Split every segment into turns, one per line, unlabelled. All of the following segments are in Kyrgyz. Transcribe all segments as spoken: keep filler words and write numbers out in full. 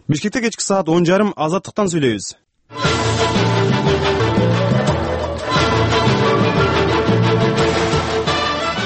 Бишкекте кечки саат он жарым Азаттыктан сүйлөйбүз.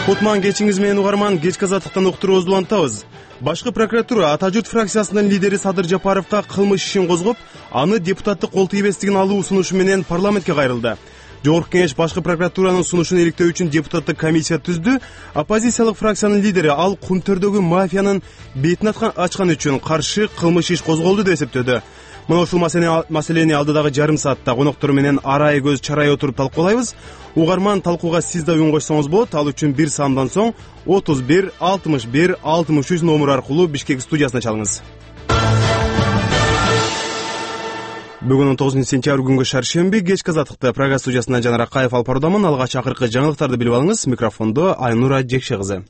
Кутман кечиңиз менен угарман, кечки Азаттыктан уктуруубузду улантабыз. Башкы прокуратура Ата журт фракциясынын лидери Садыр Жапаровго кылмыш ишин козгоп, аны депутаттык кол тийбестигин алуу сунушу менен парламентке кайрылды. Жогорку кеңеш башкы прокуратуранын сунушун иликтөө үчүн депутаттык комиссия түздү. Оппозициялык фракциянын лидери ал Кумтөрдөгү мафиянын бетин ачкан үчүн каршы кылмыш иш козголду деп эсептөдү. Мына ушул маселени алдыдагы жарым саатта коноктор менен арай көз чарай отуруп талкуулайбыз. Угарман, талкууга сиз да үн кошсоңуз болот. Ал үчүн бир саамдан соң отуз бир алтымыш бир алтымыш үч номер аркылуу Бишкек студиясына чалыңыз. Бүгүн он тогузунчу сентябрь күнгө шаршемби, кечки Азаттыкта программа студиясынан Жанар Акаев алып баруудамын. Алгач акыркы жаңылыктарды билип алыңыз. Микрофондо Айнура Жекше кызы.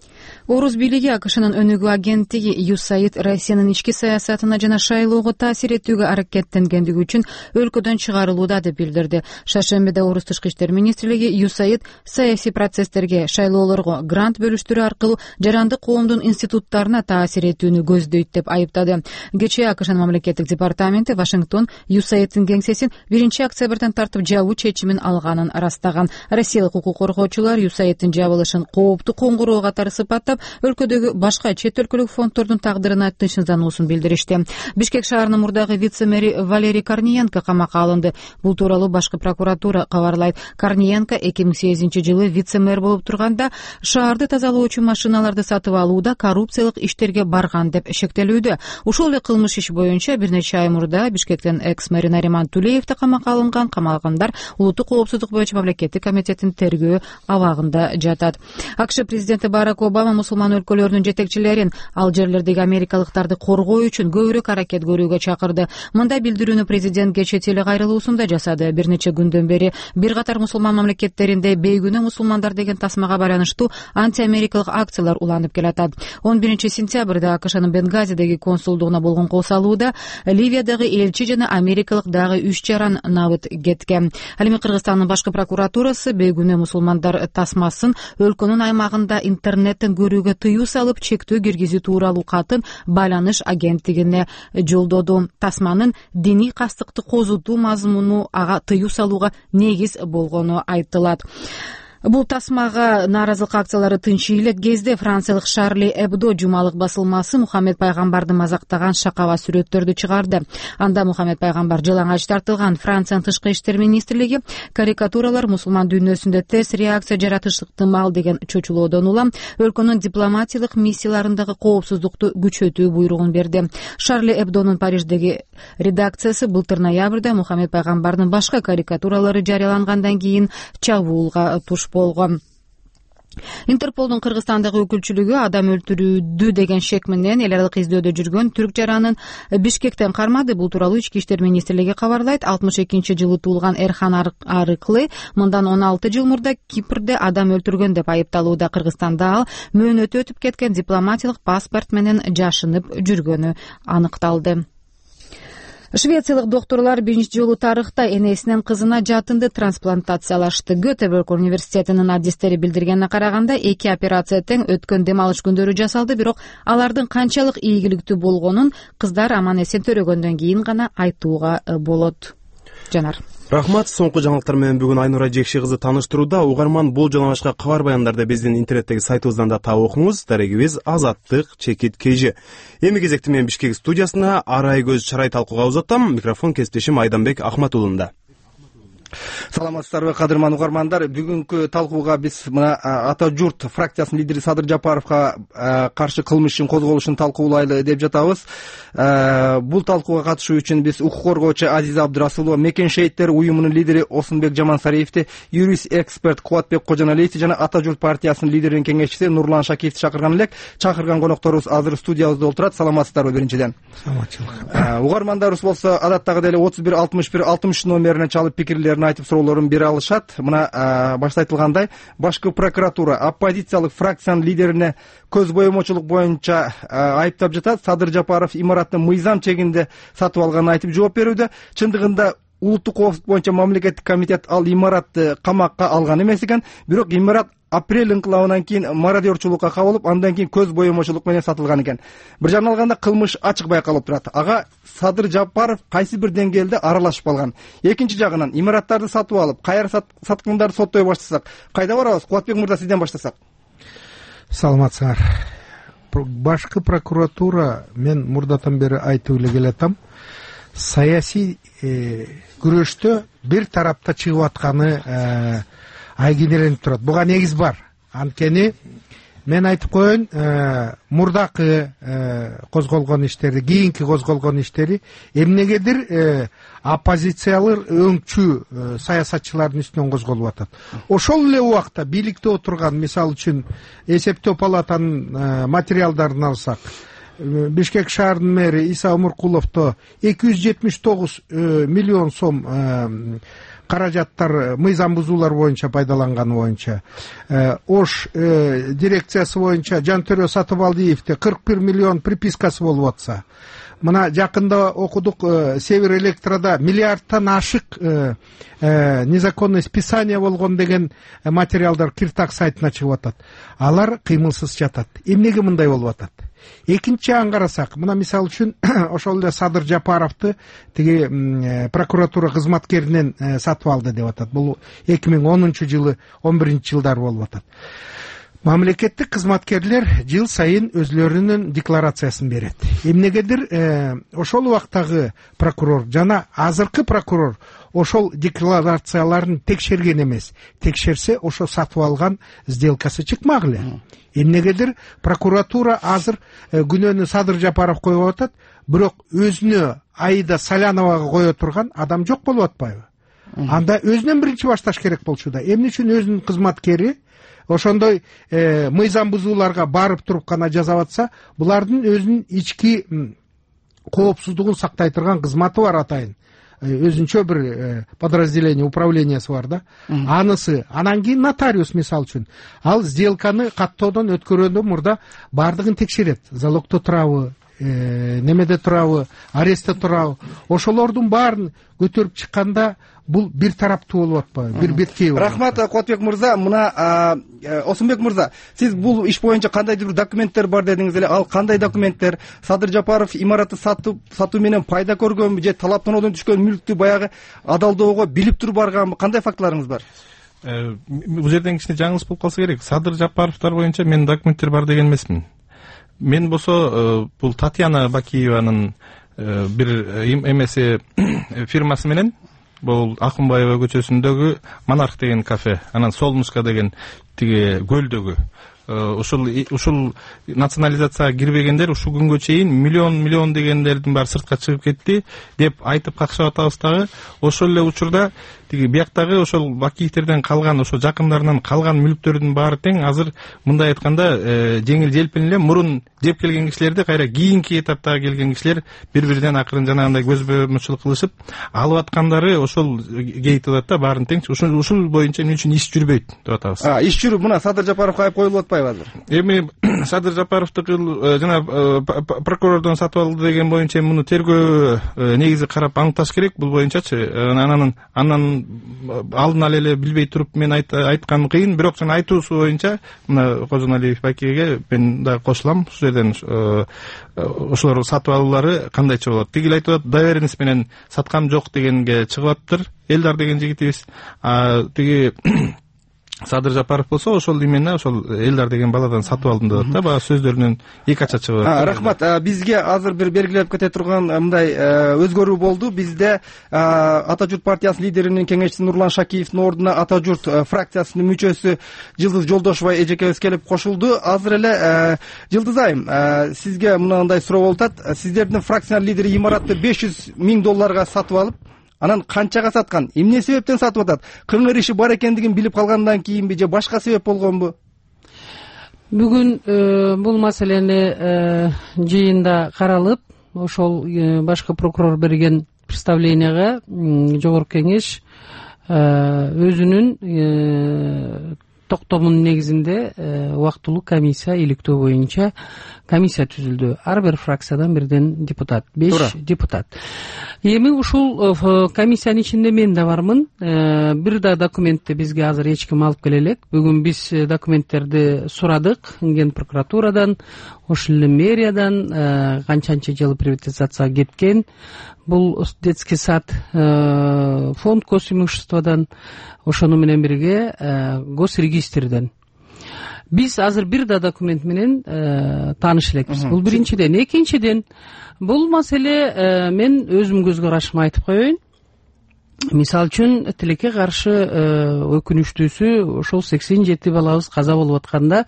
Орус бийлиги АКШнын өнүгүү агенттиги ю эс эй ай ди Россиянын ички саясатына жана шайлоого таасир этүүгө аракеттенгендиги үчүн өлкөдөн чыгарылууда деп билдирди. Шаршембиде Орус тышкы иштер министрлиги ю эс эй ай ди саясий процесстерге, шайлоолорго грант бөлүштүрүү аркылуу жарандык коомдун институттарына таасир этүүнү көздөйт деп айыптады. Кечээ АКШнын мамлекеттик департаменти Вашингтон ю эс эй ай дин кеңсесин биринчи октябрдан тартып жабуу чечимин алганын ырастаган. Россиялык укук коргоочулар ю эс эй ай дин жабылышын кооптуу коңгуроо катары сыпаттап, өлкөдөгү башка чет өлкөлүк фонддордун тагдырына тынчсыздануусун билдиришти. Бишкек шаарынын мурдагы вице-мэри Валерий Корниенко камакка алынды. Бул тууралуу башкы прокуратура кабарлайт. Корниенко эки миң сегизинчи жылы вице-мэр болуп турганда шаарды тазалоочу машиналарды сатып алууда коррупциялык иштерге барган деп шектелүүдө. Ушул эле кылмыш иш боюнча бир нече ай мурда Бишкектен экс-мэри Нариман Тулеев да камакка алынган. Камалгандар улуттук коопсуздук боюнча мамлекеттик комитеттин тергөө абагында жатат. АКШ президенти Барак Обама мусулман өлкөлөрүнүн жетекчилерин ал жерлердеги америкалыктарды коргоо үчүн көбүрөөк аракет көрүүгө чакырды. Мындай билдирүүнү президент кечээ телекайрылуусунда жасады. Бир нече күндөн бери бир катар мусулман мамлекеттеринде бейгүнөө мусулмандар деген тасмага байланыштуу антиамерикалык акциялар уланып келатат. он биринчи сентябрда АКШнын Бенгазидеги консулдугуна болгон кол салууда Ливиядагы элчи жана америкалык дагы үч жаран набыт кеткен. Ал эми Кыргызстандын башкы прокуратурасы бейгүнөө мусулмандар тасмасын өлкөнүн аймагында интернеттен көрүүгө тыюу салып, чектөө киргизүү тууралуу катын байланыш агенттигине жолдоду. Тасманын диний кастыкты козутуу мазмуну ага тыюу салууга негиз болгону айтылат. Бул тасмага нааразылык акциялары тынчый элек кезде франциялык Шарли Эбдо жумалык басылмасы Мухаммед пайгамбарды мазактаган шакаба сүрөттөрдү чыгарды. Анда Мухаммед пайгамбар жалаңач тартылган. Франциянын тышкы иштер министрлиги карикатуралар мусулман дүйнөсүндө терс реакция жаратышы ыктымал деген чочулоодон улам өлкөнүн дипломатиялык миссияларындагы коопсуздукту күчөтүү буйругун берди. Шарли Эбдонун Париждеги редакциясы былтыр ноябрда Мухаммед пайгамбардын башка карикатуралары жарыялангандан кийин чабуулга туш болгон. Интерполдун Кыргызстандагы өкүлчүлүгү адам өлтүрүүдү деген шек менен эл аралык издөөдө жүргөн түрк жаранын Бишкектен кармады. Бул тууралуу ички иштер министрлиги кабарлайт. алтымыш экинчи жылы туулган Эрхан Арыклы мындан он алты жыл мурда Кипрде адам өлтүргөн деп айыпталууда. Кыргызстанда ал мөөнөтү өтүп кеткен дипломатиялык паспорт менен жашынып жүргөнү аныкталды. Швециялык доктурлар биринчи жолу тарыхта энесинен кызына жатынды трансплантациялашты. Göteborg университетинин адистери билдиргенине караганда эки операция тең өткөн дем алыш күндөрү жасалды, бирок алардын канчалык ийгиликтүү болгонун кыздар аман эсен төрөгөндөн кийин гана айтууга болот. Жанар.
Рахмат. Соңку жаңылыктар менен бүгүн Айнура Жекше кызы тааныштырууда. Угарман, бул жана башка кабар баяндарды биздин интернеттеги сайтыбыздан да таап окуңуз. Дарегибиз Азаттык чекит кж. Эми кезекти менен Бишкек студиясына арай көз чарай талкууга узатам. Микрофон кесиптешим Айданбек Ахматулунда.
Саламатсыздарбы, кадырман угармандар. Бүгүнкү талкууга биз мына Ата журт фракциясынын лидери Садыр Жапаровго каршы кылмыш ишин козголушун талкуулайлы деп жатабыз. Бул талкууга катышуу үчүн биз укук коргоочу Азиза Абдырасулова, Мекен шейиттер уюмунун лидери Осунбек Жамансариевди, юрист эксперт Кубатбек Кожоналиевди жана Ата журт партиясынын лидеринин кеңешчиси Нурлан Шакиевди чакырган элек. Чакырган конокторубуз азыр студиябызда отурат. Саламатсыздарбы биринчиден?
Саламатчылык.
Угармандарыбыз болсо адаттагы эле отуз бир алтымыш бир алтымыш үч номерине чалып пикирлерин айтып суроолорун бере алышат. Мына башта айтылгандай, башкы прокуратура оппозициялык фракциянын лидерине көз боемочулук боюнча айыптап жатат. Садыр Жапаров имаратты мыйзам чегинде сатып алганын айтып жооп берүүдө. Чындыгында улуттук коопсуздук боюнча мамлекеттик комитет ал имаратты камакка алган эмес экен, бирок имарат апрель ыңкылабынан кийин мародерчулукка кабылып, андан кийин көз боемочулук менен сатылган экен. Бир жагынан алганда кылмыш ачык байкалып турат. Ага Садыр Жапаров кайсы бир деңгээлде аралашып калган. Экинчи жагынан имараттарды сатып алып, кайра саткандарды соттой баштасак, кайда барабыз? Кубатбек мырза, сизден баштасак.
Саламатсыңар. Башкы прокуратура, мен мурдатан бери айтып эле келатам, саясий күрөштө бир тарапта чыгып атканы айгинеленип турат. Буга негиз бар. Анткени мен айтып коеюн, мурдакы козголгон иштери, кийинки козголгон иштери эмнегедир оппозициялар өңчү саясатчылардын үстүнөн козголуп атат. Ошол эле убакта бийликте отурган, мисалы үчүн эсептөө палатанын материалдарын алсак, Бишкек шаарынын мэри Иса Омуркуловдо эки жүз жетимиш тогуз миллион сом каражаттар мыйзам бузуулар боюнча пайдаланганы боюнча, Ош дирекциясы боюнча Жантөрө Сатыбалдиевде кырк бир миллион припискасы болуп атса, мына жакында окудук Север Электрода миллиардтан ашык незаконный списание болгон деген материалдар Киртак сайтына чыгып атат. Алар кыймылсыз жатат. Эмнеге мындай болуп атат? Экинчи жагын карасак, мына мисалы үчүн ошол эле Садыр Жапаровду тиги прокуратура кызматкеринен сатып алды деп атат. Бул эки миң онунчу жылы, он биринчи жылдар болуп атат. Мамлекеттик кызматкерлер жыл сайын өзлөрүнүн декларациясын берет. Эмнегедир ошол убактагы прокурор жана азыркы прокурор ошол декларацияларын текшерген эмес. Текшерсе, ошо сатып алган сделкасы чыкмак эле. Эмнегедир прокуратура азыр күнөөнү Садыр Жапаров коюп атат, бирок өзүнө Аида Саляновага кое турган адам жок болуп атпайбы? Анда өзүнөн биринчи башташ керек болчу да. Эмне үчүн өзүнүн кызматкери ошондой мыйзам бузууларга барып туруп гана жазап атса, булардын өзүнүн ички коопсуздугун сактай турган кызматы бар атайын. Өзүнчө бир подразделение, управлениясы бар да. Анысы, анан кийин нотариус, мисалы үчүн, ал сделканы каттоодон өткөргөндө мурда бардыгын текшерет. Залогдо турабы, немеде турабы, арестте турабы. Ошолордун баарын көтөрүп чыкканда бул бир тараптуу болуп атпайбы, бир беткей болуп.
Рахмат Кубатбек мырза. Мына Осунбек мырза, сиз бул иш боюнча кандайдыр бир документтер бар дедиңиз эле. Ал кандай документтер? Садыр Жапаров имаратты сатып сатуу менен пайда көргөнбү же талаптануудан түшкөн мүлктү баягы адалдоого билип туруп барганбы? Кандай фактыларыңыз бар?
Бул жерден кичине жаңылыш болуп калса керек. Садыр Жапаровдор боюнча менин документтер бар деген эмесмин. Мен болсо бул Татьяна Бакиеванын бир эмеси фирмасы менен, бул Акунбаева көчөсүндөгү Монарх деген кафе, анан Солнышко деген тиги көлдөгү, ушул ушул национализацияга кирбегендер ушул күнгө чейин миллион миллион дегендердин баары сыртка чыгып кетти деп айтып какшап атабыз дагы. Ошол эле учурда тиги бияктагы ошол Бакиевтерден калган, ошо жакындарынан калган мүлктөрдүн баары тең азыр мындай айтканда жеңил желпин эле мурун жеп келген кишилерди кайра кийинки этаптагы келген кишилер бири-биринен акырын жанагындай көз боемочулук кылышып алып аткандары ошол кейтип атат да, баарын тең. Ушул ушул боюнча эмне үчүн иш жүрбөйт деп атабыз.
А, иш жүрүп мына Садыр Жапаровго айып коюлуп атпайбы азыр?
Эми Садыр Жапаровду жана прокурордон сатып алды деген боюнча муну тергөө негизи карап аныкташ керек. Бул боюнчачы анан анан алдын ала эле билбей туруп мен айткан кыйын, бирок жана айтуусу боюнча мына Кожоналиев Бакиевге мен да кошулам. Ушул жерден ошолор сатып алуулары кандайча болот? Тигил айтып атат, доверенность менен саткам жок дегенге чыгып атыптыр. Элдар деген жигитибиз. А тиги Садыр Жапаров болсо ошол именно ошол Элдар деген баладан сатып алдым деп атат да, баягы сөздөрүнөн эки ача чыгып атат.
Рахмат. Бизге азыр бир белгилеп кете турган мындай өзгөрүү болду. Бизде Ата журт партиясынын лидеринин кеңешчиси Нурлан Шакиевдин ордуна Ата журт фракциясынын мүчөсү Жылдыз Жолдошова эжекебиз келип кошулду. Азыр эле Жылдыз айым, сизге мындай суроо болуп атат. Сиздердин фракциянын лидери имаратты беш жүз миң долларга сатып алып, анан канчага саткан? Эмне себептен сатып атат? Кыңыр иши бар экендигин билип калгандан кийинби же башка себеп болгонбу?
Бүгүн бул маселени жыйында каралып, ошол башкы прокурор берген представленияга жогорку кеңеш өзүнүн токтомунун негизинде убактылуу комиссия иликтөө боюнча комиссия түзүлдү. Ар бир фракциядан бирден депутат, беш депутат. Эми ушул комиссиянын ичинде мен да бармын. Бир да документти бизге азыр эч ким алып келе элек. Бүгүн биз документтерди сурадык Ген прокуратурадан, ошол эле мэриядан, канчанча жыл приватизацияга кеткен. Бул детский сад фонд госимуществодан, ошону менен бирге госрегистрден. Биз азыр бир да документ менен тааныш элекпиз. Бул биринчиден. Экинчиден, бул маселе мен өзүм көз карашымды айтып коеюн. Мисалы үчүн тилекке каршы өкүнүчтүүсү ошол сексен жети балабыз каза болуп атканда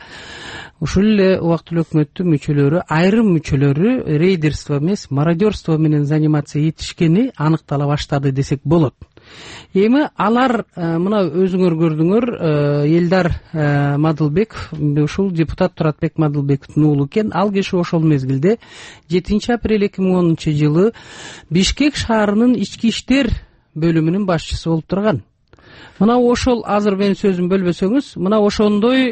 ушул эле убактылуу өкмөттүн мүчөлөрү, айрым мүчөлөрү рейдерство эмес, мародерство менен заниматься этишкени аныктала баштады десек болот. Эми алар мына өзүңөр көрдүңөр, Элдар Мадылбеков, ушул депутат Туратбек Мадылбековдун уулу экен. Ал киши ошол мезгилде жетинчи апрель эки миң онунчу жылы Бишкек шаарынын ички иштер бөлүмүнүн башчысы болуп турган. Мына ошол, азыр менин сөзүм бөлбөсөңүз, мына ошондой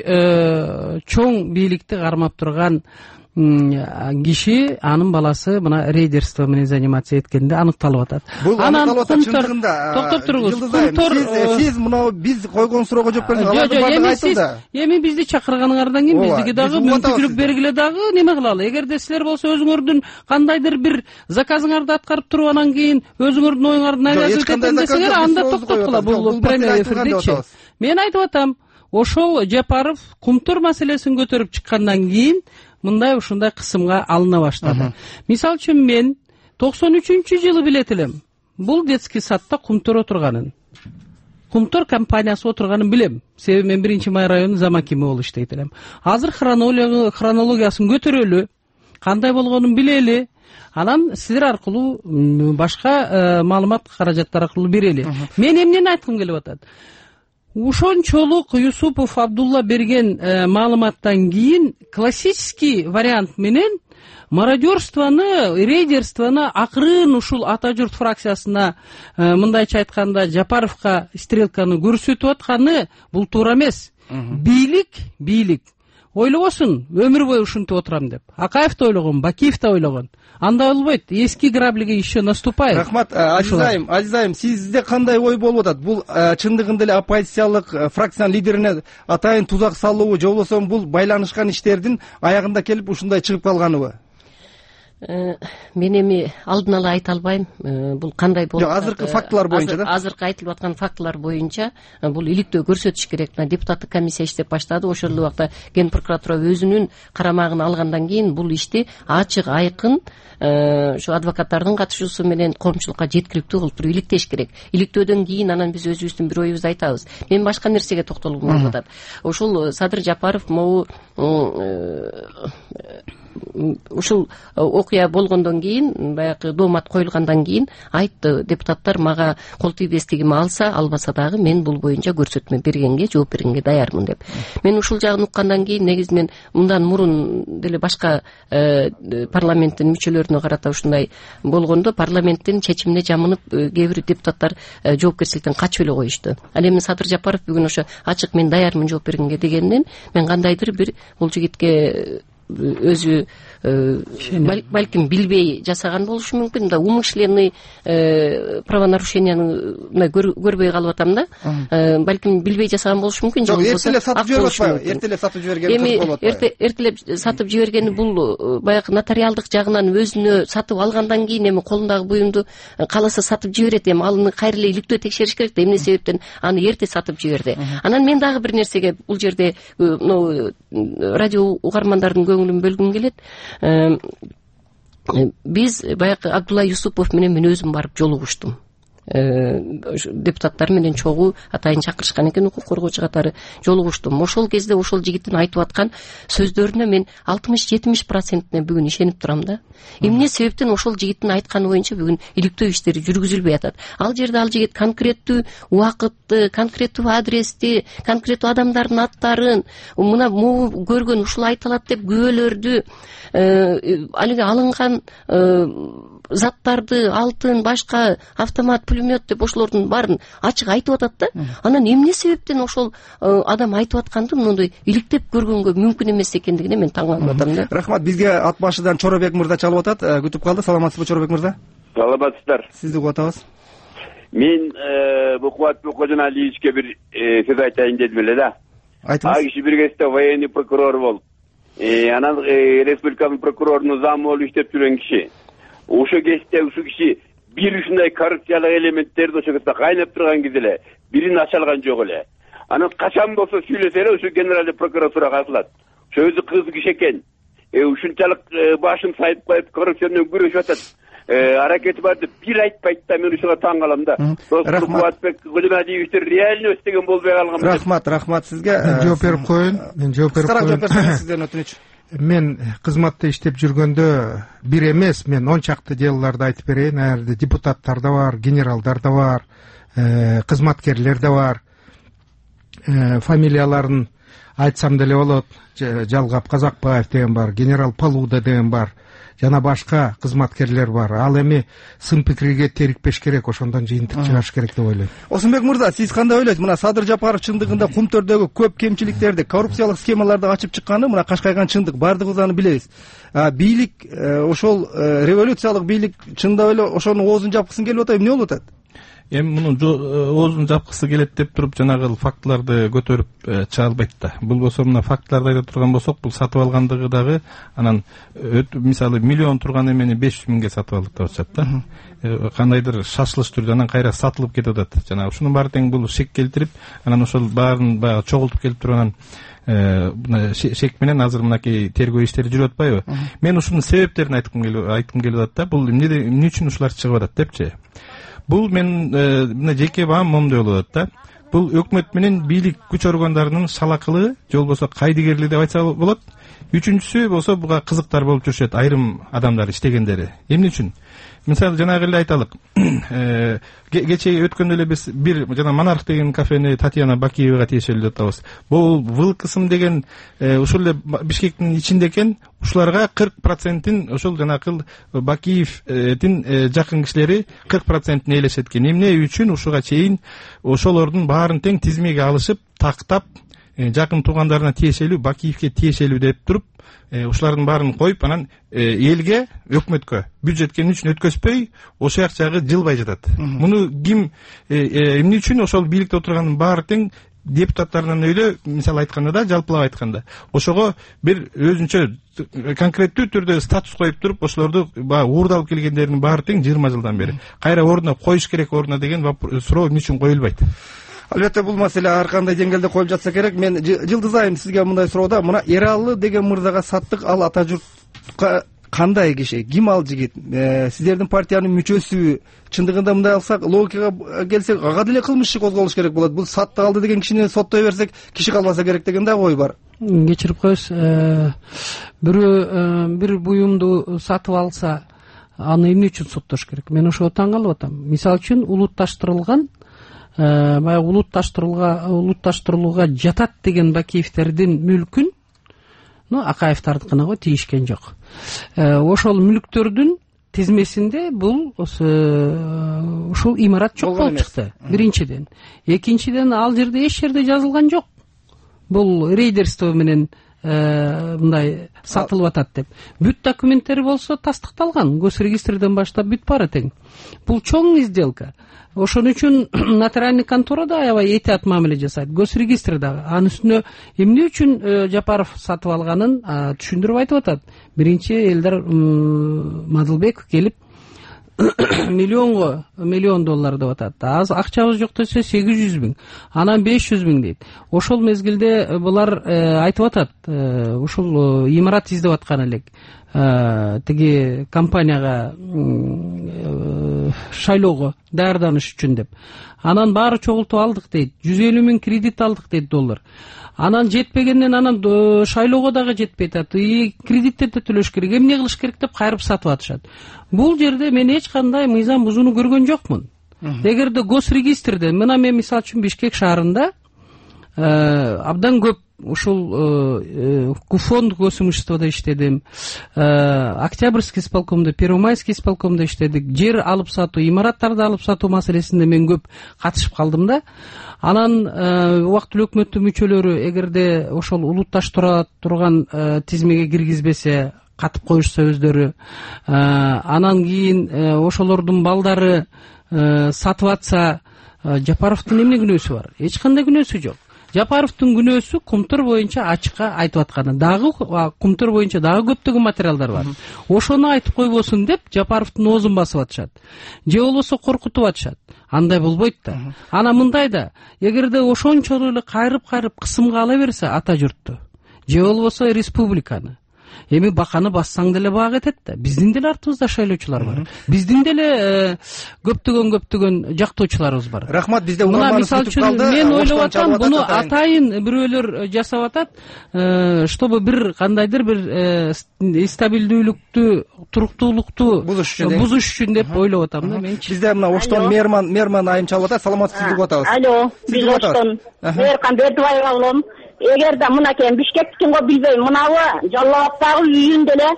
чоң бийликти кармап турган киши, анын баласы мына рейдерство менен заниматься эткенде аныкталып атат.
Бул аныкталып атат чындыгында.
Токтоп туруңуз.
Сиз сиз мына биз койгон суроого жооп бериңиз. Алардын баардыгы айтылды.
Эми бизди чакырганыңардан кийин бизге дагы мүмкүнчүлүк бергиле, дагы неме кылалы. Эгерде силер болсо өзүңөрдүн кандайдыр бир заказыңарды аткарып туруп анан кийин өзүңөрдүн оюңарды айлашып кетем десеңер, анда токтоткула. Бул прямой эфирдечи. Мен айтып атам, ошол Жапаров Кумтур маселесин көтөрүп чыккандан кийин мындай ушундай кысымга алына баштады. Мисалы үчүн мен токсон үчүнчү жылы билет элем. Бул детский садта Кумтур отурганын. Кумтур компаниясы отурганын билем. Себеби мен биринчи май районунун замакими болуп иштейт элем. Азыр хронологиясын көтөрөлү, кандай болгонун билели. Анан силер аркылуу башка маалымат каражаттар аркылуу берели. Мен эмнени айткым келип атат? Ушончолук Юсупов Абдулла берген маалыматтан кийин классический вариант менен мародерствону, рейдерствону акырын ушул Ата журт фракциясына, мындайча айтканда, Жапаровка стрелканы көрсөтүп атканы бул туура эмес. Бийлик, бийлик ойлобосун, өмүр бою ушинтип отурам деп. Акаев да ойлогон, Бакиев да ойлогон. Анда болбойт. Эски граблиги еще наступает.
Рахмат, Азизайым, Азизайым, сизде кандай ой болуп атат? Бул чындыгында эле оппозициялык фракциянын лидерине атайын тузак салуубу, же болбосо бул байланышкан иштердин аягында келип ушундай чыгып калганыбы?
Мен эми алдын ала айта албайм. Бул кандай болуп
атат? Азыркы фактылар боюнча да.
Азыркы айтылып аткан фактылар боюнча бул иликтөө көрсөтүш керек. Депутаттык комиссия иштеп баштады. Ошол убакта Ген прокуратура өзүнүн карамагына алгандан кийин бул ишти ачык, айкын ушу адвокаттардын катышуусу менен коомчулукка жеткиликтүү кылып туруп иликтеш керек. Иликтөөдөн кийин анан биз өзүбүздүн бир оюбузду айтабыз. Мен башка нерсеге токтолгум келип атат. Ушул Садыр Жапаров могу ушул окуя болгондон кийин, баягы доомат коюлгандан кийин айтты, депутаттар мага кол тийбестигими алса, албаса дагы мен бул боюнча көрсөтмө бергенге, жооп бергенге даярмын деп. Мен ушул жагын уккандан кийин негизинен мындан мурун деле башка парламенттин мүчөлөрүнө карата ушундай болгондо парламенттин чечимине жамынып кээ бир депутаттар жоопкерчиликтен качып эле коюшту. Ал эми Садыр Жапаров бүгүн ошо ачык мен даярмын жооп бергенге дегенинен мен кандайдыр бир бул жигитке өзү балким билбей жасаган болушу мүмкүн да, умышленный правонарушенияны көрбөй калып атам да. Балким билбей жасаган болушу мүмкүн.
Жок, эртелеп сатып жиберип атпайбы? Эртелеп сатып жибергени
кыз болуп атпайбы? Эртелеп сатып жибергени бул баягы нотариалдык жагынан өзүнө сатып алгандан кийин эми колундагы буюмду кааласа сатып жиберет. Эми аны кайра эле иликтөө текшериш керек да, эмне себептен аны эрте сатып жиберди. Анан мен дагы бир нерсеге бул жерде радио угармандардын көңүлүн бөлгүм келет. Биз баягы Абдулла Юсупов менен мен өзүм барып жолугуштум. Депутаттар менен чогуу атайын чакырышкан экен, укук коргоочу катары жолугуштум. Ошол кезде ошол жигиттин айтып аткан сөздөрүнө мен алтымыш жетимиш процентине бүгүн ишенип турам да. Эмне себептен ошол жигиттин айтканы боюнча бүгүн иликтөө иштери жүргүзүлбөй атат. Ал жерде ал жигит конкреттүү убакытты, конкреттүү адрести, конкреттүү адамдардын аттарын, мына могу көргөн, ушул айтылат деп күбөлөрдү, алиги алынган заттарды, алтын, башка автомат, пулемет деп ошолордун баарын ачык айтып атат да. Анан эмне себептен ошол адам айтып атканды мындай иликтеп көргөнгө мүмкүн эмес экендигине мен таң калып атам да.
Рахмат. Бизге ат башыдан Чоробек мырза чалып атат. Күтүп калды. Саламатсызбы, Чоробек мырза?
Саламатсыздар.
Сизди угуп атабыз.
Мен бул Кубатбек Кожоналиевичке бир сөз айтайын дедим эле да.
Айтыңыз.
А киши бир кезде военный прокурор болуп, анан республиканын прокурорунун замы болуп иштеп жүргөн киши. Ошо кезде ушул киши бир ушундай коррупциялык элементтерди ошо кезде кайнап турган кезде эле бирин ача алган жок эле. Анан качан болсо сүйлөсө эле ушу генеральный прокуратурага атылат. Ошо өзү кыз киши экен. Ушунчалык башын сайып коюп коррупция менен күрөшүп атат. Аракети бар деп бир айтпайт да, мен ушуга таң калам да. Кубатбек Кожоналиевичтер реально өстөгөн болбой калган.
Рахмат, рахмат сизге.
Жооп берип коеюн. Мен жооп берип коеюн.
Сизден өтүнүч.
Мен кызматта иштеп жүргөндө бир эмес, мен он чакты делолорду айтып берейин. Ал жерде депутаттар да бар, генералдар да бар, кызматкерлер да бар. Фамилияларын айтсам деле болот. Жалгап Казакбаев деген бар, генерал Палуда деген бар, жана башка кызматкерлер бар. Ал эми сын пикирге терикпеш керек, ошондон жыйынтык чыгарыш керек деп ойлойм.
Осунбек мырза, сиз кандай ойлойсуз? Мына Садыр Жапаров чындыгында Кумтөрдөгү көп кемчиликтерди, коррупциялык схемаларды ачып чыкканы мына кашкайган чындык, баардыгыбыз аны билебиз. Бийлик, ошол революциялык бийлик чындап эле ошонун оозун жапкысын келип атат, эмне болуп атат?
Эми мунун оозун жапкысы келет деп туруп жанагы фактыларды көтөрүп чыга албайт да. Бул болсо мына фактыларды айта турган болсок, бул сатып алгандыгы дагы анан мисалы миллион турган эмени беш жүз миңге сатып алдык деп атышат да. Кандайдыр шашылыш түрдө анан кайра сатылып кетип атат. Жана ушунун баары тең бул шек келтирип, анан ошол баарын баягы чогултуп келип туруп анан шек менен азыр мынакей тергөө иштери жүрүп атпайбы? Мен ушунун себептерин айткым келип айткым келип атат да. Бул эмне үчүн ушулар чыгып атат депчи. Бул мен мына жеке баам момундай болуп атат да. Бул өкмөт менен бийлик күч органдарынын шалакылыгы, же болбосо кайдыгерлиги деп айтса болот. Үчүнчүсү болсо буга кызыктар болуп жүрүшөт айрым адамдар иштегендери. Эмне үчүн? Мисалы жанагы эле айталык. Кечээ өткөндө эле биз бир жана Монарх деген кафени Татьяна Бакиевага тиешелүү деп атабыз. Бул вылкысым деген ушул эле Бишкектин ичинде экен. Ушуларга кырк процентин ошол жанакы Бакиевдин жакын кишилери кырк процентин ээлешет экен. Эмне үчүн ушуга чейин ошолордун баарын тең тизмеге алышып, тактап, жакын туугандарына тиешелүү, Бакиевге тиешелүү деп туруп, ушулардын баарын коюп, анан элге, өкмөткө бюджетке эмне үчүн өткөзбөй, ошол акчагы жылбай жатат. Муну ким эмне үчүн ошол бийликте отургандын баары тең депутаттарынан өйлө, мисалы айтканда да, жалпылап айтканда, ошого бир өзүнчө конкреттүү түрдө статус коюп туруп, ошолорду баягы уурдалып келгендердин баары тең жыйырма жылдан бери кайра ордуна коюш керек, ордуна деген суроо эмне үчүн коюлбайт?
Албетте бул маселе ар кандай деңгээлде коюлуп жатса керек. Мен Жылдыз айым сизге мындай суроодо, мына Эралы деген мырзага саттык, ал ата журтка кандай киши, ким ал жигит? Сиздердин партиянын мүчөсүбү? Чындыгында мындай алсак, логикага келсек, ага деле кылмыш иши козголуш керек болот. Бул сатты алды деген кишини соттой берсек, киши калбаса керек деген да ой бар.
Кечирип коесуз, бирөө бир буюмду сатып алса, аны эмне үчүн соттош керек? Мен ошого таң калып атам. Мисалы үчүн улутташтырылган баягы улутташтырууга улутташтырылууга жатат деген Бакиевтердин мүлкүн, ну Акаевдардыкына го тийишкен жок. Ошол мүлктөрдүн тизмесинде бул ушул имарат жок болуп чыкты. Биринчиден. Экинчиден, ал жерде эч жерде жазылган жок. Бул рейдерство менен мындай сатылып атат деп. Бүт документтери болсо тастыкталган, госрегистрден баштап бүт баары тең. Бул чоң сделка. Ошон үчүн нотариальный контора да аябай этият мамиле жасайт, госрегистр дагы. Анын үстүнө эмне үчүн Жапаров сатып алганын түшүндүрүп айтып атат. Биринчи Элдар Мадылбеков келип миллионго миллион доллар деп атат. Аз акчабыз жок десе сегиз жүз миң, анан беш жүз миң дейт. Ошол мезгилде булар айтып атат, ушул имарат издеп аткан элек. Тиги компанияга шайлоого даярданыш үчүн деп. Анан баары чогултуп алдык дейт. жүз элүү миң кредит алдык дейт доллар. Анан жетпегенден анан шайлоого дагы жетпей атат. И кредиттерди төлөш керек, эмне кылыш керек деп кайрып сатып атышат. Бул жерде мен эч кандай мыйзам бузууну көргөн жокмун. Эгерде госрегистрде, мына мен мисалы үчүн Бишкек шаарында абдан көп ушул фонд госимуществодо иштедим, Октябрьский исполкомдо, Первомайский исполкомдо иштедик. Жер алып сатуу, имараттарды алып сатуу маселесинде мен көп катышып калдым да. Анан убактылуу өкмөттүн мүчөлөрү эгерде ошол улутташтыра турган тизмеге киргизбесе, катып коюшса өздөрү, анан кийин ошолордун балдары сатып атса, Жапаровдун эмне күнөөсү бар? Эч кандай күнөөсү жок. Жапаровдун күнөөсү Кумтур боюнча ачыкка айтып атканы. Дагы Кумтур боюнча дагы көптөгөн материалдар бар. Ошону айтып койбосун деп Жапаровдун оозун басып атышат. Же болбосо коркутуп атышат. Андай болбойт да. Ана мындай да, эгерде ошончолук эле кайрып-кайрып кысымга ала берсе ата журтту, же болбосо республиканы, эми баканы бассаң деле баа кетет да. Биздин деле артыбызда шайлоочулар бар. Биздин деле көптөгөн көптөгөн жактоочуларыбыз бар.
Рахмат, бизде
угурманыбыз бүтүп калды. Мен ойлоп атам, буну атайын бирөөлөр жасап атат, чтобы бир кандайдыр бир стабилдүүлүктү, туруктуулукту бузуш үчүн деп ойлоп атам да мен.
Бизде мына Оштон Мээрман Мээрман айым чалып атат. Саламатсызбы деп атабыз.
Алло, биз Оштон Мээркан Бердибаева болом. Эгерде мынакей Бишкектикин го билбейм, мынабы Жалал Абадтагы үйүндө эле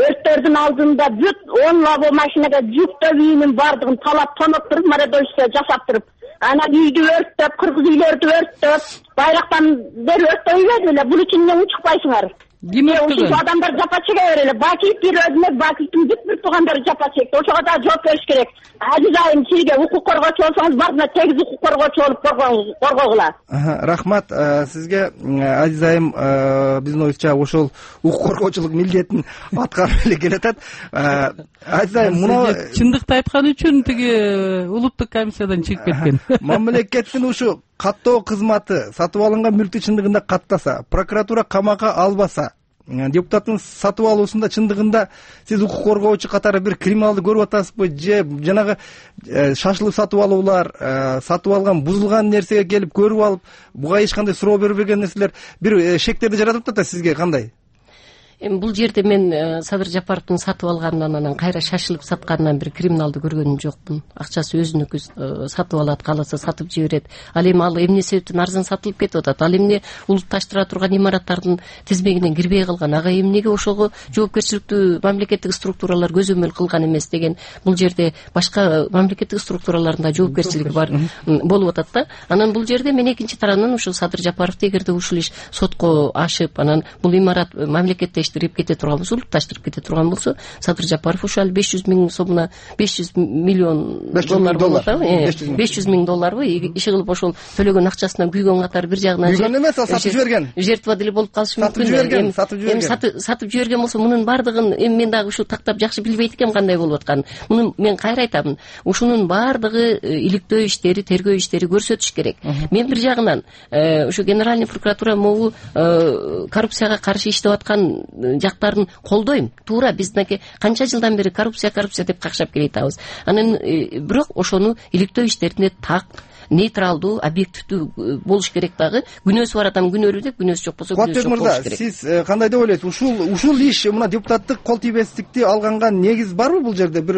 өрттөрдүн алдында бүт он лабо машинага жүктөп үйүнүн бардыгын талап тонуп туруп, марадойчусу жашап туруп, анан үйдү өрттөп, кыргыз үйлөрдү өрттөп, байрактан бери өрттөйбөдү эле. Бул үчүн эмне учуп кайсыңар?
Ким
ушул адамдар жапа чеге берели. Бакиев бир өзүнө, Бакиевдин бүт бүт туугандары жапа чекти. Ошого да жооп бериш керек. Азиз айым, сизге укук коргоочу болсоңуз, бардына тегиз укук коргоочу болуп коргогула.
Рахмат сизге. Азиз айым биздин оюбузча ошол укук коргоочулук милдетин аткарып эле келатат. Азиз айым, муну
чындыкты айткан үчүн тиги улуттук комиссиядан чыгып кеткен.
Мамлекеттин ушу каттоо кызматы сатып алынган мүлктү чындыгында каттаса, прокуратура камакка албаса, депутаттын сатып алуусунда чындыгында сиз укук коргоочу катары бир криминалды көрүп атасызбы, же жанагы шашылып сатып алуулар, сатып алган бузулган нерсеге келип көрүп алып, буга эч кандай суроо бербеген нерселер бир шектерди жаратып атат да сизге кандай?
Эми бул жерде мен Садыр Жапаровдун сатып алганынан, анан кайра шашылып сатканынан бир криминалды көргөнүм жокмун. Акчасы өзүнүкү, сатып алат, кааласа сатып жиберет. Ал эми ал эмне себептен арзан сатылып кетип атат? Ал эмне улутташтыра турган имараттардын тизмегинен кирбей калган? Ага эмнеге ошого жоопкерчиликтүү мамлекеттик структуралар көзөмөл кылган эмес деген? Бул жерде башка мамлекеттик структуралардын да жоопкерчилиги бар болуп атат да. Анан бул жерде мен экинчи тарабынан ушул Садыр Жапаровду эгерде ушул иш сотко ашып, анан бул имарат мамлекетте кете турган болсо, улутташтырып кете турган болсо, Садыр Жапаров ушул беш жүз миң сомуна беш жүз миллион доллар болот, беш жүз миң долларбы иши кылып ошол төлөгөн акчасынан күйгөн катары бир жагынан
күйгөн эмес, ал сатып жиберген,
жертва деле болуп калышы мүмкүн.
Жиберген, сатып жиберген.
Эми сатып жиберген болсо, мунун бардыгын эми мен дагы ушул тактап жакшы билбейт экенм кандай болуп атканын. Муну мен кайра айтамын, ушунун бардыгы иликтөө иштери, тергөө иштери көрсөтүш керек. Мен бир жагынан ушу генеральный прокуратура могу коррупцияга каршы иштеп аткан жактарын колдойм. Туура, биз мынакей канча жылдан бери коррупция коррупция деп какшап келатабыз. Анан бирок ошону иликтөө иштерине так, нейтралдуу, объективдүү болуш керек дагы. Күнөөсү бар адам күнөөлүү деп, күнөөсү жок болсо күнөөсү жок болуш керек.
Сиз кандай деп ойлойсуз? Ушул ушул иш, мына депутаттык кол тийбестикти алганга негиз барбы бул жерде? Бир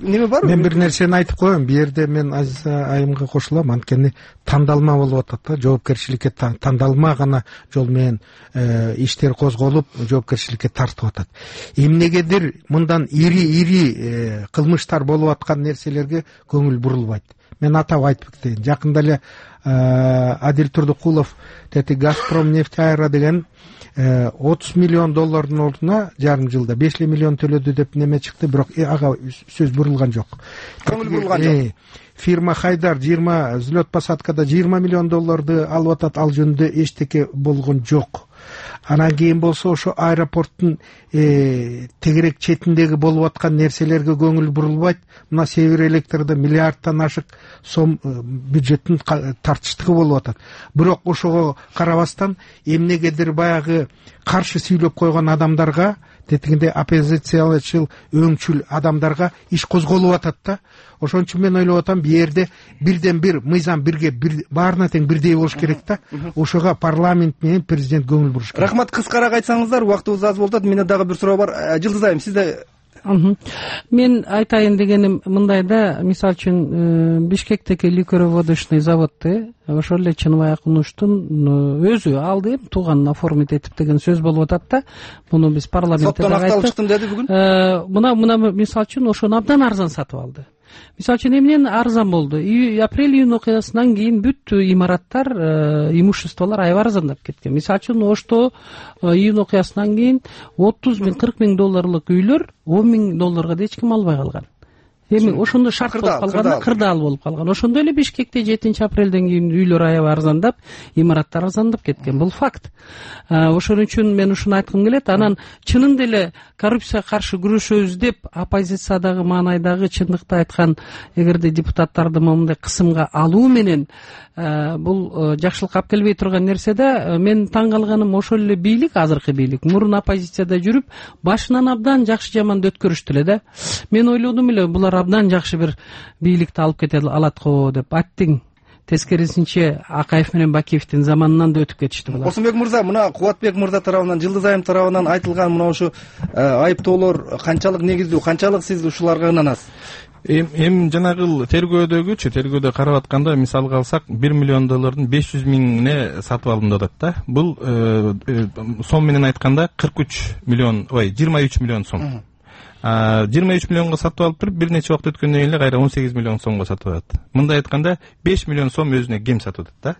неме барбы?
Мен бир нерсени айтып коеюн. Бу жерде мен Азиз айымга кошулам. Анткени тандалма болуп атат да, жоопкерчиликке тандалма гана жол менен иштер козголуп, жоопкерчиликке тартып атат. Эмнегедир мындан ири-ири кылмыштар болуп аткан нерселерге көңүл бурулбайт. Мен атап айтып кетейин. Жакында эле Адил Турдукулов тети Газпром нефть айра деген отуз миллион доллардын ордуна жарым жылда беш миллион төлөдү деп неме чыкты, бирок ага сөз бурулган жок.
Көңүл бурулган жок.
Фирма Хайдар жыйырма взлет посадкада жыйырма миллион долларды алып атат, ал жөнүндө эчтеке болгон жок. Анан кийин болсо ошо аэропорттун тегерек четиндеги болуп аткан нерселерге көңүл бурулбайт. Мына Север Электрде миллиардтан ашык сом бюджеттин тартыштыгы болуп атат. Бирок ошого карабастан эмнегедир баягы каршы сүйлөп койгон адамдарга, тетигинде оппозициялычыл, өңчүл адамдарга иш козголуп атат да. Ошон үчүн мен ойлоп атам, бу жерде бирден бир мыйзам бирге бир баарына тең бирдей болуш керек да. Ошого парламент менен президент көңүл буруш керек.
Рахмат, кыскараак айтсаңыздар, убактыбыз аз болуп атат. Менде дагы бир суроо бар. Жылдыз айым, сизде
мен айтайын дегеним мындай да, мисалы үчүн Бишкектеги ликероводочный заводду ошол эле Чыныбай Акунуштун өзү алды, эми тууганын оформить этип деген сөз болуп атат да. Муну биз парламентте
соттон акталып чыктым деди бүгүн.
Мына мына мисалы үчүн ошону абдан арзан сатып алды. Мисалы үчүн эмнен арзан болду? Апрель июнь окуясынан кийин бүт имараттар, имуществолор аябай арзандап кеткен. Мисалы үчүн Ошто июнь окуясынан кийин отуз миң кырк миң долларлык үйлөр он миң долларга да эч ким албай калган. Эми ошондо шарт болуп калганда кырдаал болуп калган. Ошондой эле Бишкекте жетинчи апрелден кийин үйлөр аябай арзандап, имараттар арзандап кеткен. Бул факт. Ошон үчүн мен ушуну айткым келет. Анан чынында эле коррупцияга каршы күрөшөбүз деп оппозициядагы маанайдагы чындыкты айткан эгерде депутаттарды момундай кысымга алуу менен бул жакшылыкка алып келбей турган нерсе да, мен таң калганым ошол эле бийлик, азыркы бийлик мурун оппозицияда жүрүп, башынан абдан жакшы жаманды өткөрүштү эле да. Мен ойлодум эле булар абдан жакшы бир бийликти алып кете алат го деп. Аттиң тескерисинче Акаев менен Бакиевдин заманынан да өтүп кетишти булар.
Косумбек мырза, мына Кубатбек мырза тарабынан, Жылдыз айым тарабынан айтылган мына ушу айыптоолор канчалык негиздүү, канчалык сиз ушуларга ынанасыз?
Эми жанагы тергөөдөгүчү тергөөдө карап атканда, мисалга алсак, бир миллион доллардын беш жүз миңине сатып алынды деп да. Бул сом менен айтканда кырк үч миллион, ой, жыйырма үч миллион сом. жыйырма үч миллионго сатып алып туруп, бир нече убакыт өткөндөн кийин эле кайра он сегиз миллион сомго сатып алат. Мындай айтканда беш миллион сом өзүнө кем сатып атат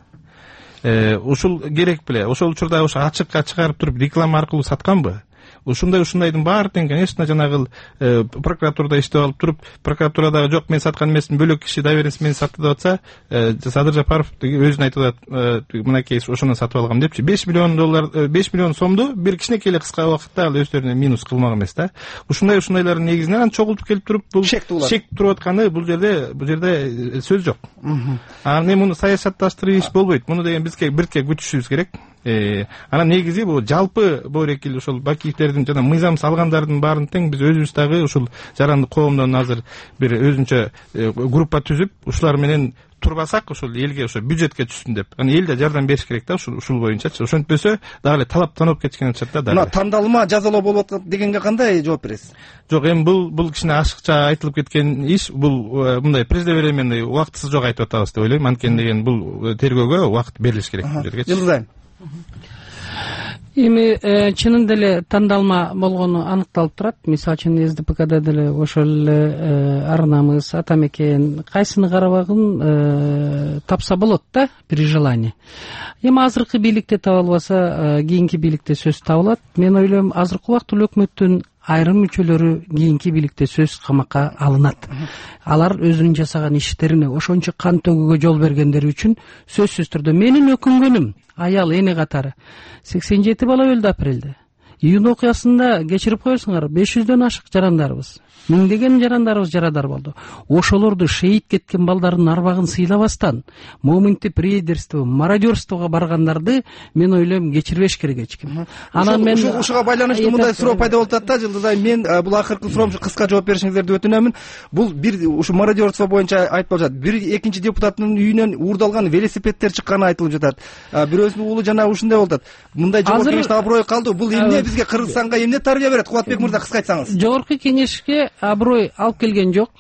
да. Ушул керек беле? Ошол учурда ошо ачыкка чыгарып туруп реклама аркылуу сатканбы? Ушундай ушундайдын баардыгын, конечно, жанагы прокуратурада иштеп алып туруп, прокуратурадагы жок, мен саткан эмесмин, бөлөк киши доверенность менен сатты деп атса, Садыр Жапаров өзүн айтып атат, мынакей ошондон сатып алгам депчи. беш миллион доллар, беш миллион сомду бир кичинекей эле кыска убакытта ал өздөрүнө минус кылмак эмес да. Ушундай ушундайлардын негизинен анан чогултуп келип туруп, бул шек туруп атканы бул жерде, бул жерде сөз жок. А мен муну саясатташтырып иш болбойт. Муну деген бизге бирке күтүшүбүз керек. Анан негизи бул жалпы боорекил ошол Бакиевдердин жана мыйзам салгандардын баарын тең биз өзүбүз дагы ушул жарандык коомдон азыр бир өзүнчө группа түзүп, ушулар менен турбасак, ошол элге, ошо бюджетке түшсүн деп. Аны эл да жардам бериш керек да, ушул ушул боюнчачы. Ошентпөсө дагы эле талаптанып кеткен чакта да.
Мына тандалма жазалоо болуп атат дегенге кандай жооп бересиз?
Жок, эми бул бул кичине ашыкча айтылып кеткен иш, бул мындай преждевременный, убактысыз жок айтып атабыз деп ойлойм. Анткени деген бул тергөөгө убакыт берилиш керек бул жерге.
Жылдызайм.
Эми чынында эле тандалма болгону аныкталып турат. Мисалы үчүн СДПКда деле ошол эле Арнамыз, Атамекен кайсыны карабагын тапса болот да, при желании. Эми азыркы бийликте таба албаса, кийинки бийликте сөз табылат. Мен ойлойм, азыркы убакыттуу өкмөттүн айрым мүчөлөрү кийинки бийликте сөз камакка алынат. Алар өзүнүн жасаган иштерине ошончо кан төгүүгө жол бергендери үчүн сөзсүз түрдө менин өкүнгөнүм аял эне катары сексен жети бала өлдү апрелде. Июнь окуясында кечирип коесуңар, беш жүздөн ашык жарандарыбыз, миңдеген жарандарыбыз жарадар болду. Ошолорду шейит кеткен балдардын арбагын сыйлабастан моментип рейдерство, мародерствого баргандарды мен ойлойм кечирбеш керек эч ким.
Анан мен ушуга байланыштуу мындай суроо пайда болуп атат да, Жылдызай, мен бул акыркы суроом кыска жооп беришиңиздерди өтүнөмүн. Бул бир ушу мародерство боюнча айтып жатат. Бир экинчи депутаттын үйүнөн уурдалган велосипедтер чыкканы айтылып жатат. Бирөөсүнүн уулу жана ушундай болуп атат. Мындай жогорку кеңештин аброю калды. Бул эмне бизге, Кыргызстанга эмне тарбия берет? Кубатбек мырза, кыска айтсаңыз.
Жогорку кеңешке аброй алып келген жок.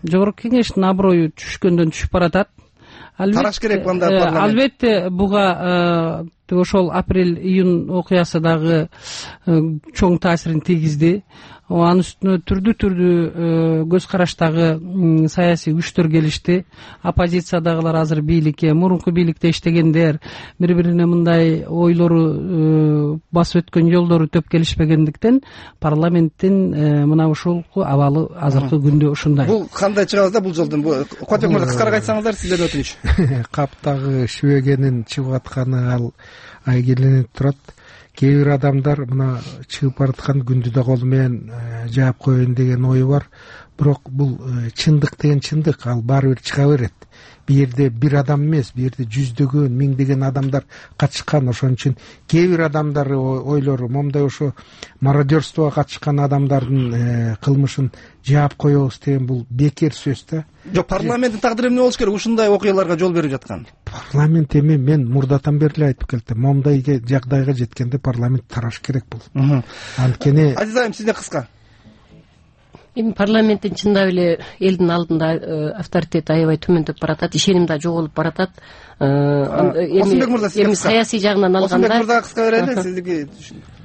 Жогорку кеңештин аброю түшкөндөн түшүп баратат.
Тараш керек мында парламент.
Албетте буга ошол апрель июнь окуясы дагы чоң таасирин тийгизди. Анын үстүнө түрдүү түрдүү көз караштагы саясий күчтөр келишти. Оппозициядагылар азыр бийликке, мурунку бийликте иштегендер, бири-бирине мындай ойлору басып өткөн жолдору төп келишпегендиктен парламенттин мына ушул абалы азыркы күндө ушундай.
Бул кандай чыгабыз да бул жолдон? Кубатбек мырза, кыскараак айтсаңыздар, сизден өтүнүч.
Каптагы шүбөгенин чыгып атканы ал айгеленип турат. Кээ бир адамдар мына чыгып бараткан күндү да колу менен жаап коеюн деген ою бар. Бирок бул чындык деген чындык, ал баары бир чыга берет. Бул жерде бир адам эмес, бул жерде жүздөгөн, миңдеген адамдар катышкан. Ошон үчүн кээ бир адамдар ойлору момундай ошо мародерствого катышкан адамдардын кылмышын жаап коебуз деген бул бекер сөз да.
Жок, парламенттин тагдыры эмне болуш керек ушундай окуяларга жол берип жаткан?
Парламент эми мен мурдатан бери эле айтып келдим. Момундай жагдайга жеткенде парламент тараш керек бул. Анткени
Азизайым, сизден кыска.
эми парламенттин чындап эле элдин алдында авторитети аябай төмөндөп баратат, ишеним да жоголуп баратат.
Осунбек мырза,
эми саясий жагынан алганда
Осунбек мырза кыска берели, сиздики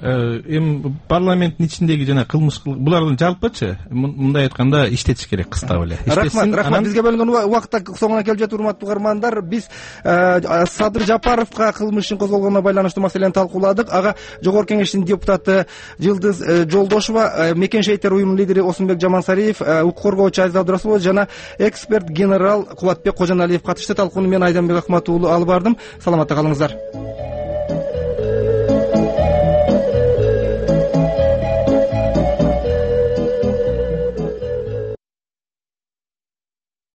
эми парламенттин ичиндеги жана кылмыш булардын жалпычы мындай айтканда иштетиш керек кыстап эле.
Рахмат, рахмат. Бизге бөлүнгөн убакытта соңуна келип жатыр, урматтуу угармандар. Биз Садыр Жапаровго кылмыш ишин козголгонуна байланыштуу маселени талкууладык. Ага Жогорку Кеңештин депутаты Жылдыз Жолдошева, Мекен шейиттер уюмунун лидери Осунбек Жамансариев, укук коргоочу Азиз Абдырасулова жана эксперт генерал Кубатбек Кожоналиев катышты. Талкууну мен Айданбек Акматов алып бардым. Саламатта калыңыздар.